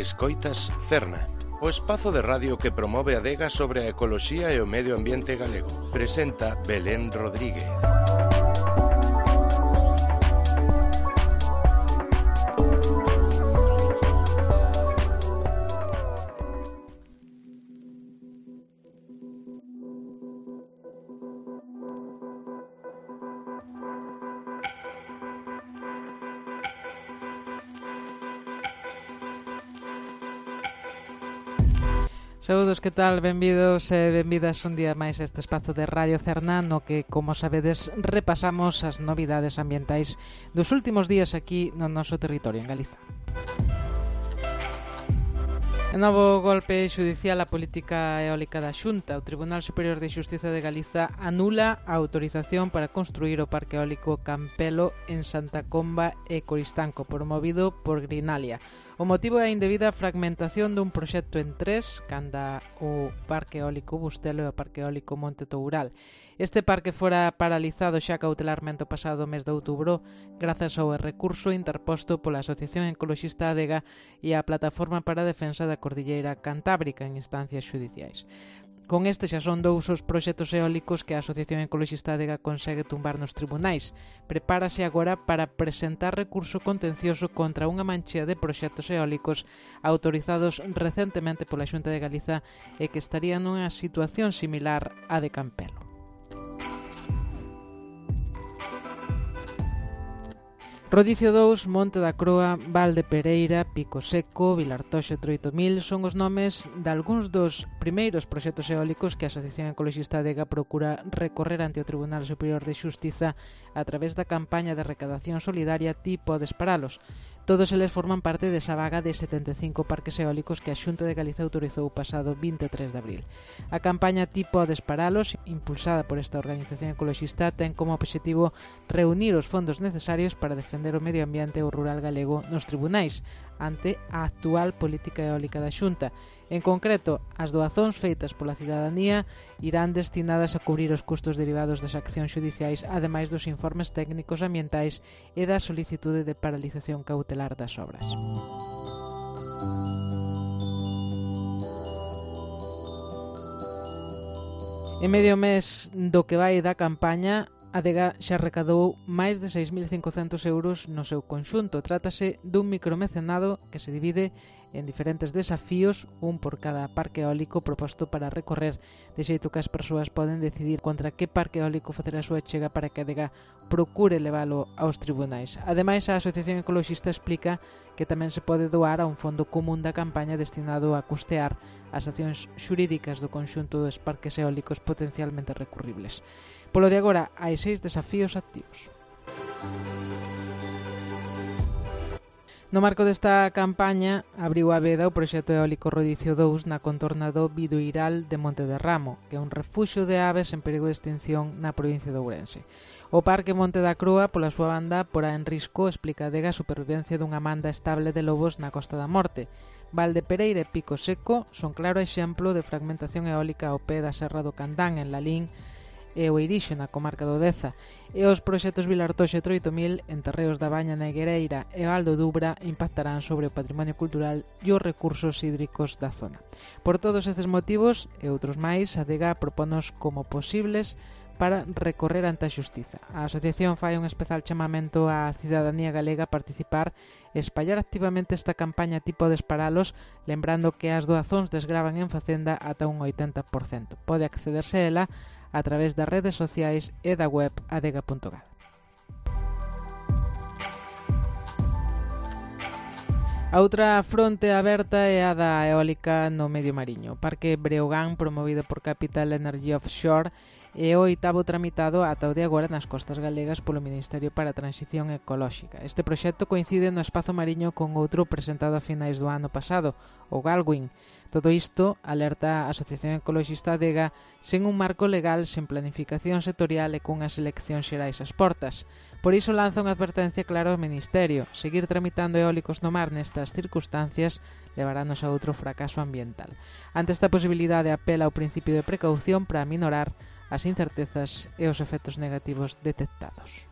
Escoitas Cerna, o espazo de radio que promove a adega sobre a ecoloxía e o medio ambiente galego. Presenta Belén Rodríguez. Saúdos, que tal? Benvidos e benvidas un día máis a este espazo de Radio Cerna, no que, como sabedes, repasamos as novidades ambientais dos últimos días aquí no noso territorio, en Galiza. En novo golpe xudicial á política eólica da Xunta, o Tribunal Superior de Xustiza de Galiza anula a autorización para construir o parque eólico Campelo en Santa Comba e Coristanco, promovido por Greenalia. O motivo é a indebida fragmentación dun proxecto en tres, canda o Parque Eólico Bustelo e o Parque Eólico Monte Toural. Este parque fora paralizado xa cautelarmente o pasado mes de outubro grazas ao recurso interposto pola Asociación Ecoloxista Adega e a Plataforma para a Defensa da Cordilleira Cantábrica en instancias xudiciais. Con este xa son dous os proxectos eólicos que a Asociación Ecoloxista Adega consegue tumbar nos tribunais. Prepárase agora para presentar recurso contencioso contra unha manchea de proxectos eólicos autorizados recentemente pola Xunta de Galiza e que estarían nunha situación similar á de Campelo. Rodicio 2, Monte da Croa, Val de Pereira, Pico Seco, Vilartoxo e Troitomil son os nomes de algúns dos primeiros proxectos eólicos que a Asociación Ecoloxista Adega procura recorrer ante o Tribunal Superior de Xustiza a través da campaña de recadación solidaria Ti podes paralos. Todos eles forman parte desa vaga de 75 parques eólicos que a Xunta de Galiza autorizou o pasado 23 de abril. A campaña Ti podes paralos, impulsada por esta organización ecoloxista, ten como obxectivo reunir os fondos necesarios para defender o medio ambiente e o rural galego nos tribunais ante a actual política eólica da Xunta. En concreto, as doazóns feitas pola cidadanía irán destinadas a cubrir os custos derivados das accións xudiciais, ademais dos informes técnicos ambientais e da solicitude de paralización cautelar das obras. En medio mes do que vai da campaña, a Adega xa recadou máis de 6.500 euros no seu conxunto. Trátase dun micromecenado que se divide en diferentes desafíos, un por cada parque eólico proposto para recorrer, de xeito que as persoas poden decidir contra que parque eólico facer a súa chega para que a Adega procure leválo aos tribunais. Ademais, a Asociación Ecoloxista explica que tamén se pode doar a un fondo común da campaña destinado a custear as accións xurídicas do conxunto dos parques eólicos potencialmente recurribles. Polo de agora, hai 6 desafíos activos. No marco desta campaña, abriu a veda o proxecto eólico Rodicio 2 na contorna do Biduiral de Monte de Ramo, que é un refuxio de aves en perigo de extinción na provincia de Ourense. O Parque Monte da Croa, pola súa banda, porá en risco, explica a Adega, a supervivencia dunha manda estable de lobos na Costa da Morte. Val de Pereira e Pico Seco son claro exemplo de fragmentación eólica ao pé da Serra do Candán, en Lalín, e o Irixo na comarca do Deza, e os proxectos Vilartoxo e Troitomil en Terreos da Baña na Higuereira e Aldo Dubra impactarán sobre o patrimonio cultural e os recursos hídricos da zona. Por todos estes motivos e outros máis, a Adega propónos como posibles para recorrer ante a xustiza. A asociación fai un especial chamamento á cidadanía galega a participar e espallar activamente esta campaña Ti podes paralos, lembrando que as doazóns desgravan en Facenda ata un 80%. Pode accederse a ela a través das redes sociais e da web adega.gal. A outra fronte aberta é a da eólica no medio mariño. O Parque Breogán, promovido por Capital Energy Offshore, é o 8º tramitado ata o de agora nas costas galegas polo Ministerio para a Transición Ecolóxica. Este proxecto coincide no espazo mariño con outro presentado a finais do ano pasado, o Galwin. Todo isto alerta a Asociación Ecoloxista Adega sen un marco legal, sen planificación sectorial e cunhas eleccións xerais ás portas. Por iso lanza unha advertencia clara ao Ministerio. Seguir tramitando eólicos no mar nestas circunstancias levarános a outro fracaso ambiental. Ante esta posibilidade, apela ao principio de precaución para minorar as incertezas e os efectos negativos detectados.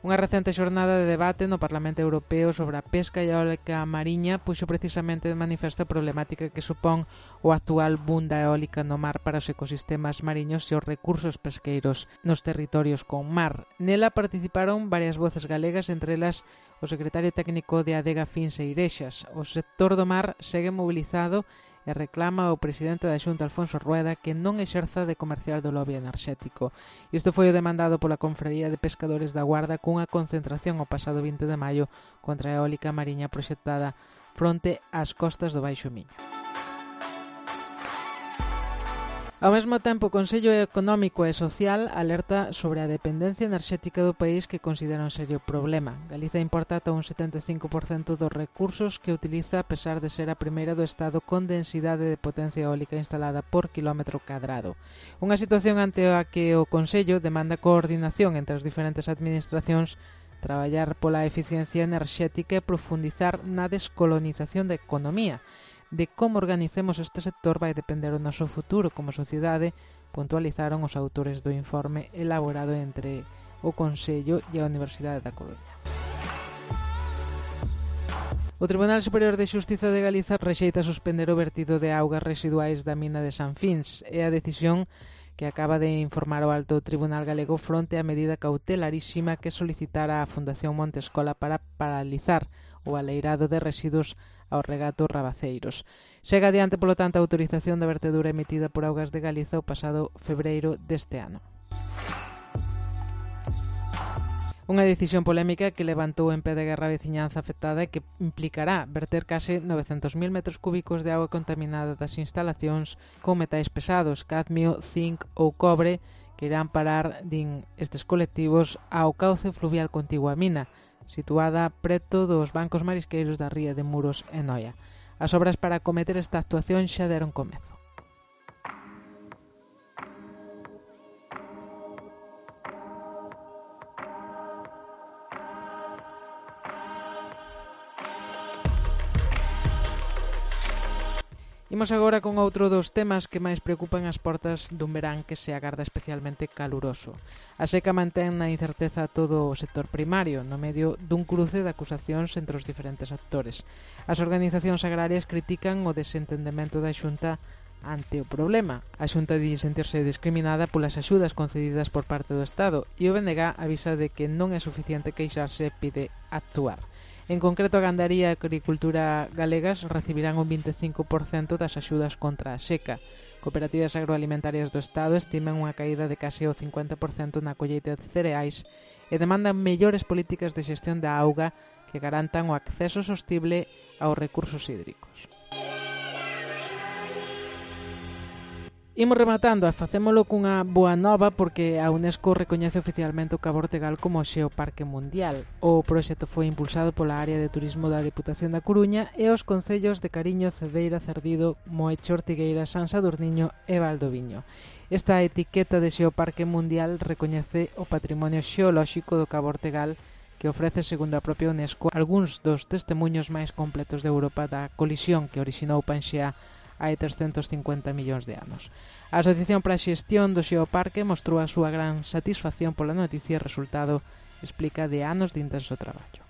Unha recente xornada de debate no Parlamento Europeo sobre a pesca e a eólica mariña puxo precisamente de manifesto a problemática que supón o actual boom da eólica no mar para os ecosistemas mariños e os recursos pesqueiros nos territorios con mar. Nela participaron varias voces galegas, entre elas o secretario técnico de Adega Fins e Irexas. O sector do mar segue mobilizado e reclama ao presidente da Xunta, Alfonso Rueda, que non exerza de comercial do lobby enerxético. Isto foi o demandado pola Confraría de Pescadores da Guarda cunha concentración o pasado 20 de maio contra a eólica mariña proxectada fronte ás costas do Baixo Miño. Ao mesmo tempo, o Consello Económico e Social alerta sobre a dependencia enerxética do país que considera un serio problema. Galiza importa ata un 75% dos recursos que utiliza a pesar de ser a primeira do Estado con densidade de potencia eólica instalada por quilómetro cadrado. Unha situación ante a que o Consello demanda coordinación entre as diferentes administracións, traballar pola eficiencia enerxética e profundizar na descolonización da economía. De como organicemos este sector vai depender o noso futuro como sociedade, puntualizaron os autores do informe elaborado entre o Consello e a Universidade da Coruña. O Tribunal Superior de Xustiza de Galiza rexeita suspender o vertido de augas residuais da mina de San Fins. É a decisión que acaba de informar o Alto Tribunal Galego fronte á medida cautelarísima que solicitara a Fundación Montescola para paralizar o aleirado de residuos aos regatos rabaceiros. Chega adiante, polo tanto, a autorización da vertedura emitida por Augas de Galiza o pasado febreiro deste ano. Unha decisión polémica que levantou en pé de guerra a veciñanza afectada e que implicará verter case 900.000 metros cúbicos de auga contaminada das instalacións con metais pesados, cadmio, zinc ou cobre, que irán parar, din estes colectivos, ao cauce fluvial contigua á mina, situada preto dos bancos marisqueiros da ría de Muros e Noia. As obras para acometer esta actuación xa deron comezo. Imos agora con outro dos temas que máis preocupan as portas dun verán que se agarda especialmente caluroso. A seca mantén na incerteza todo o sector primario, no medio dun cruce de acusacións entre os diferentes actores. As organizacións agrarias critican o desentendemento da Xunta ante o problema. A Xunta di sentirse discriminada polas axudas concedidas por parte do Estado e o BNG avisa de que non é suficiente queixarse e pide actuar. En concreto, a gandaría e a agricultura galegas recibirán un 25% das axudas contra a seca. Cooperativas agroalimentarias do Estado estiman unha caída de case o 50% na colleita de cereais e demandan mellores políticas de xestión da auga que garantan o acceso sostible aos recursos hídricos. Imos rematando e facémolo cunha boa nova porque a UNESCO recoñece oficialmente o Cabo Ortegal como Xeoparque Mundial. O proxecto foi impulsado pola área de turismo da Deputación da Coruña e os concellos de Cariño, Cedeira, Cerdido, Moeche, Ortigueira, San Sadurniño e Valdoviño. Esta etiqueta de Xeoparque Mundial recoñece o patrimonio xeolóxico do Cabo Ortegal que ofrece, segundo a propia UNESCO, algúns dos testemunhos máis completos de Europa da colisión que orixinou Panxea hai 350 millóns de anos. A Asociación para a Xestión do Xeoparque mostrou a súa gran satisfacción pola noticia e resultado explica de anos de intenso traballo.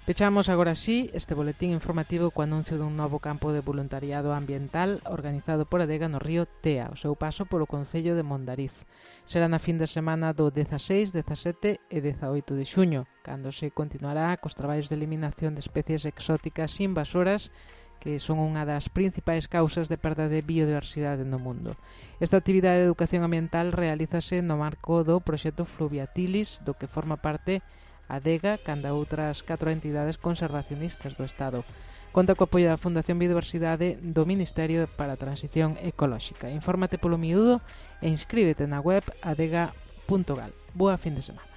Pechamos agora sí este boletín informativo co anuncio dun novo campo de voluntariado ambiental organizado por Adega no río Tea, o seu paso polo concello de Mondariz. Será na fin de semana do 16, 17 e 18 de xuño, cando se continuará cos traballos de eliminación de especies exóticas invasoras que son unha das principais causas de perda de biodiversidade no mundo. Esta actividade de educación ambiental realízase no marco do proxecto Fluviatilis, do que forma parte Adega, canda outras 4 entidades conservacionistas do Estado. Conta co apoio da Fundación Biodiversidade do Ministerio para a Transición Ecolóxica. Infórmate polo miúdo e inscríbete na web adega.gal. Boa fin de semana.